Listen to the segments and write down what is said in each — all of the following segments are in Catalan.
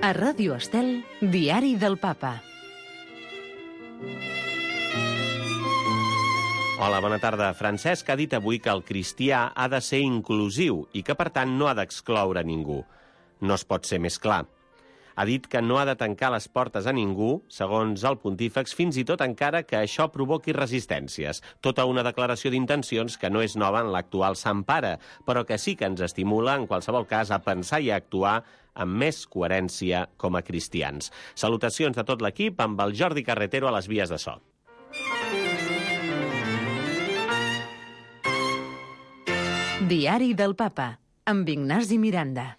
A Ràdio Estel, Diari del Papa. Hola, bona tarda. Francesc ha dit avui que el cristià ha de ser inclusiu i que, per tant, no ha d'excloure ningú. No es pot ser més clar. Ha dit que no ha de tancar les portes a ningú, segons el pontífex, fins i tot encara que això provoqui resistències. Tota una declaració d'intencions que no és nova en l'actual Sant Pare, però que sí que ens estimula, en qualsevol cas, a pensar i a actuar amb més coherència com a cristians. Salutacions de tot l'equip amb el Jordi Carretero a les vies de so. Diari del Papa, amb Ignasi Miranda.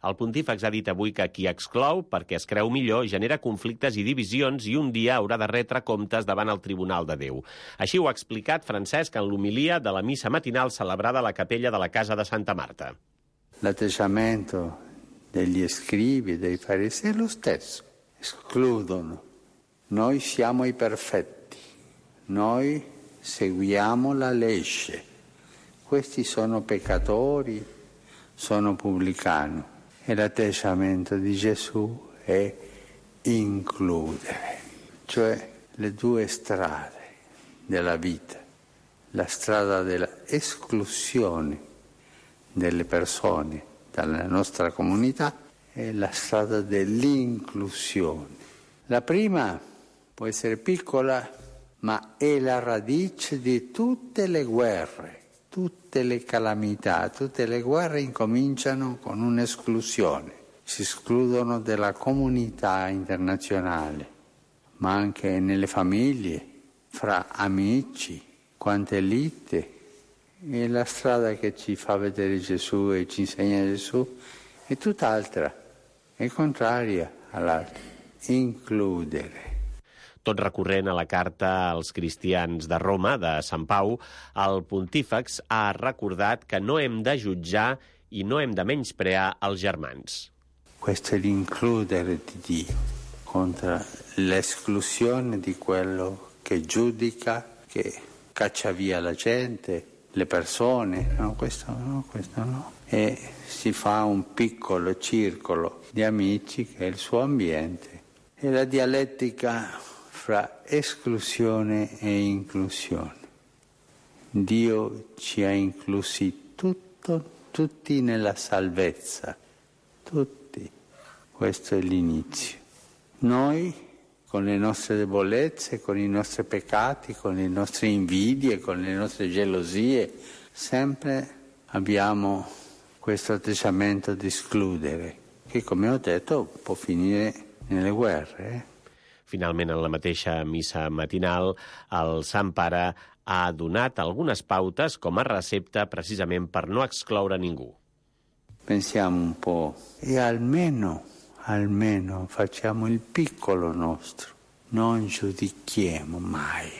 El pontífex ha dit avui que qui exclou perquè es creu millor genera conflictes i divisions i un dia haurà de retre comptes davant el Tribunal de Déu. Així ho ha explicat Francesc en l'homilia de la missa matinal celebrada a la capella de la Casa de Santa Marta. L'atteggiamento degli scribi e dei farisei è lo stesso. Escludono. Noi siamo i perfetti. Noi seguiamo la legge. Questi sono peccatori, sono pubblicani. E l'atteggiamento di Gesù è includere, cioè le due strade della vita, la strada della esclusione delle persone dalla nostra comunità e la strada dell'inclusione. La prima può essere piccola, ma è la radice di tutte le guerre. Tutte le calamità, tutte le guerre incominciano con un'esclusione. Si escludono dalla comunità internazionale, ma anche nelle famiglie, fra amici, quante lite. E la strada che ci fa vedere Gesù e ci insegna Gesù è tutt'altra, è contraria all'altra. Includere. Tot recorrent a la carta als cristians de Roma, de Sant Pau, el pontífex ha recordat que no hem de jutjar i no hem de menysprear els germans. Questo è l'includere di Dio contro l'esclusione di quello che giudica, che caccia via la gente, le persone. No, questo no, questo no. E si fa un piccolo circolo di amici che è il suo ambiente. E la dialettica fra esclusione e inclusione. Dio ci ha inclusi tutti nella salvezza, tutti. Questo è l'inizio. Noi, con le nostre debolezze, con i nostri peccati, con le nostre invidie, con le nostre gelosie, sempre abbiamo questo atteggiamento di escludere, che, come ho detto, può finire nelle guerre. Finalment, en la mateixa missa matinal, el Sant Pare ha donat algunes pautes com a recepta precisament per no excloure ningú. Pensiamo un po' e almeno facciamo il piccolo nostro, non giudichiamo mai.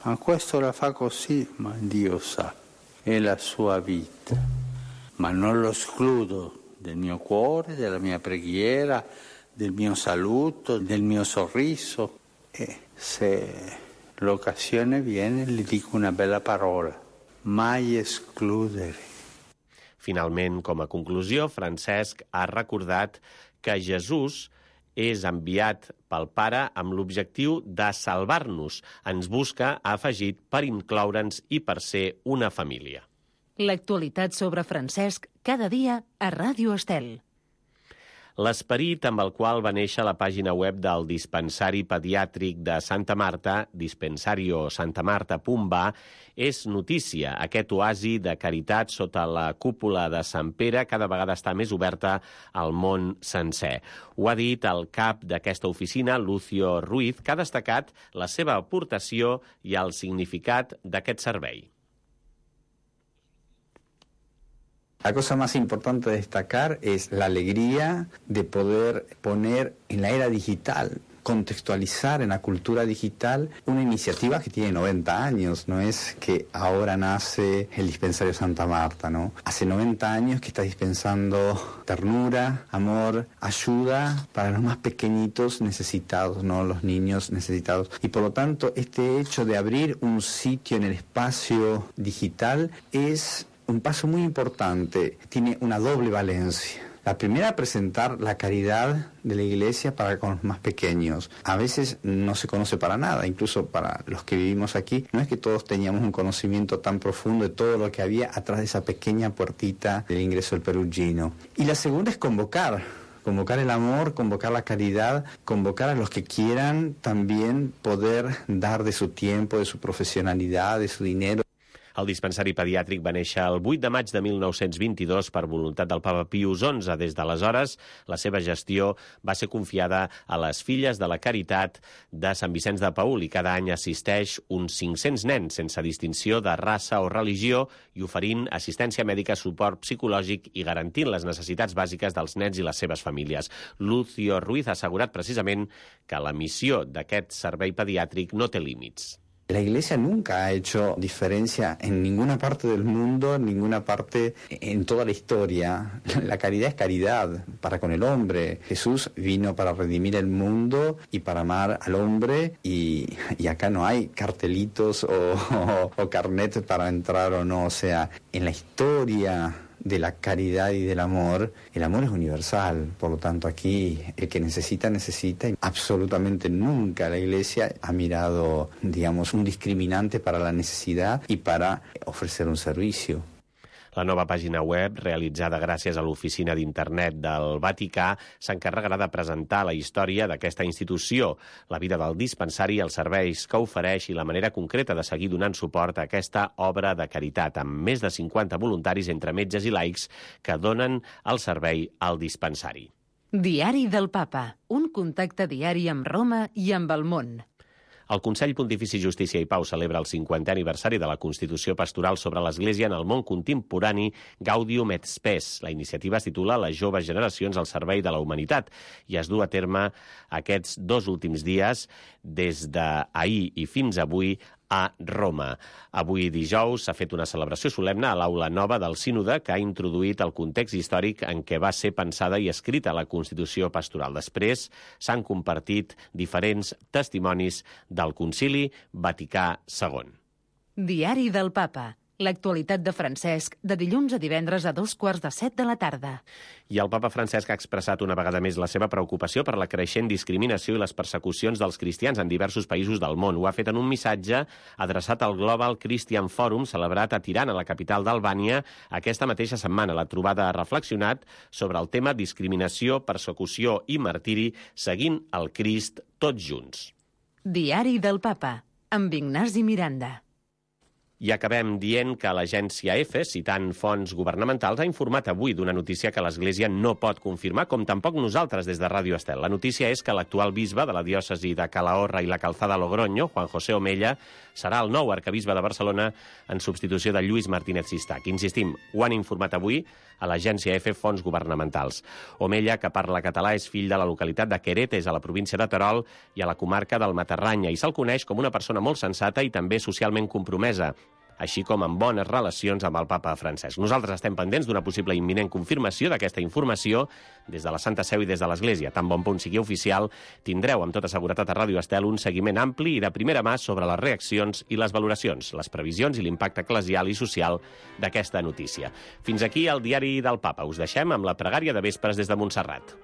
Ma questo la fa così, ma Dio sa, è la sua vita. Ma non lo escludo del mio cuore, della mia preghiera, del mio saluto, del mio sorriso, e se l'occasione viene gli dico una bella parola, mai escludere. Finalment, com a conclusió, Francesc ha recordat que Jesús és enviat pel Pare amb l'objectiu de salvar-nos. Ens busca, ha afegit, per incloure'ns i per ser una família. L'actualitat sobre Francesc cada dia a Ràdio Estel. L'esperit amb el qual va néixer la pàgina web del dispensari pediàtric de Santa Marta, dispensariosantamarta.va, és notícia. Aquest oasi de caritat sota la cúpula de Sant Pere cada vegada està més oberta al món sencer. Ho ha dit el cap d'aquesta oficina, Lucio Ruiz, que ha destacat la seva aportació i el significat d'aquest servei. La cosa más importante a destacar es la alegría de poder poner en la era digital, contextualizar en la cultura digital una iniciativa que tiene 90 años, no es que ahora nace el dispensario Santa Marta, ¿no? Hace 90 años que está dispensando ternura, amor, ayuda para los más pequeñitos necesitados, ¿no? Los niños necesitados. Y por lo tanto, este hecho de abrir un sitio en el espacio digital es un paso muy importante, tiene una doble valencia. La primera, presentar la caridad de la Iglesia para con los más pequeños. A veces no se conoce para nada, incluso para los que vivimos aquí. No es que todos teníamos un conocimiento tan profundo de todo lo que había atrás de esa pequeña puertita del ingreso del Perugino. Y la segunda es convocar el amor, convocar la caridad, convocar a los que quieran también poder dar de su tiempo, de su profesionalidad, de su dinero. El dispensari pediàtric va néixer el 8 de maig de 1922 per voluntat del papa Pius XI. Des d'aleshores, la seva gestió va ser confiada a les Filles de la Caritat de Sant Vicenç de Paül i cada any assisteix uns 500 nens sense distinció de raça o religió i oferint assistència mèdica, suport psicològic i garantint les necessitats bàsiques dels nens i les seves famílies. Lucio Ruiz ha assegurat precisament que la missió d'aquest servei pediàtric no té límits. La Iglesia nunca ha hecho diferencia en ninguna parte del mundo, en ninguna parte en toda la historia. La caridad es caridad para con el hombre. Jesús vino para redimir el mundo y para amar al hombre y acá no hay cartelitos o carnet para entrar o no. O sea, en la historia de la caridad y del amor, el amor es universal, por lo tanto aquí el que necesita, necesita, y absolutamente nunca la Iglesia ha mirado, digamos, un discriminante para la necesidad y para ofrecer un servicio. La nova pàgina web, realitzada gràcies a l'oficina d'internet del Vaticà, s'encarregarà de presentar la història d'aquesta institució, la vida del dispensari, els serveis que ofereix i la manera concreta de seguir donant suport a aquesta obra de caritat, amb més de 50 voluntaris entre metges i laics que donen el servei al dispensari. Diari del Papa, un contacte diari amb Roma i amb el món. El Consell Pontifici Justícia i Pau celebra el 50è aniversari de la Constitució Pastoral sobre l'Església en el món contemporani Gaudium et Spes. La iniciativa es titula Les joves generacions al servei de la humanitat i es du a terme aquests 2 últims dies, des d'ahir i fins avui, a Roma. Avui dijous s'ha fet una celebració solemne a l'Aula Nova del Sínode que ha introduït el context històric en què va ser pensada i escrita la Constitució Pastoral. Després s'han compartit diferents testimonis del Concili Vaticà II. Diari del Papa. L'actualitat de Francesc, de dilluns a divendres a 14:15 de la tarda. I el papa Francesc ha expressat una vegada més la seva preocupació per la creixent discriminació i les persecucions dels cristians en diversos països del món. Ho ha fet en un missatge adreçat al Global Christian Forum, celebrat a Tirana, la capital d'Albània, aquesta mateixa setmana. La trobada ha reflexionat sobre el tema discriminació, persecució i martiri, seguint el Crist tots junts. Diari del Papa, amb Ignasi Miranda. I acabem dient que l'agència EFE, citant fonts governamentals, ha informat avui d'una notícia que l'Església no pot confirmar, com tampoc nosaltres des de Ràdio Estel. La notícia és que l'actual bisbe de la diòcesi de Calahorra i la Calzada Logroño, Juan José Omella, serà el nou arquebisbe de Barcelona en substitució de Lluís Martínez Sistac. Insistim, ho han informat avui a l'agència EFE fonts governamentals. Omella, que parla català, és fill de la localitat de Queretes, a la província de Terol i a la comarca del Matarranya, i se'l coneix com una persona molt sensata i també socialment compromesa, així com amb bones relacions amb el papa Francesc. Nosaltres estem pendents d'una possible imminent confirmació d'aquesta informació des de la Santa Seu i des de l'Església. Tan bon punt sigui oficial, tindreu amb tota seguretat a Ràdio Estel un seguiment ampli i de primera mà sobre les reaccions i les valoracions, les previsions i l'impacte eclesial i social d'aquesta notícia. Fins aquí el Diari del Papa. Us deixem amb la pregària de vespres des de Montserrat.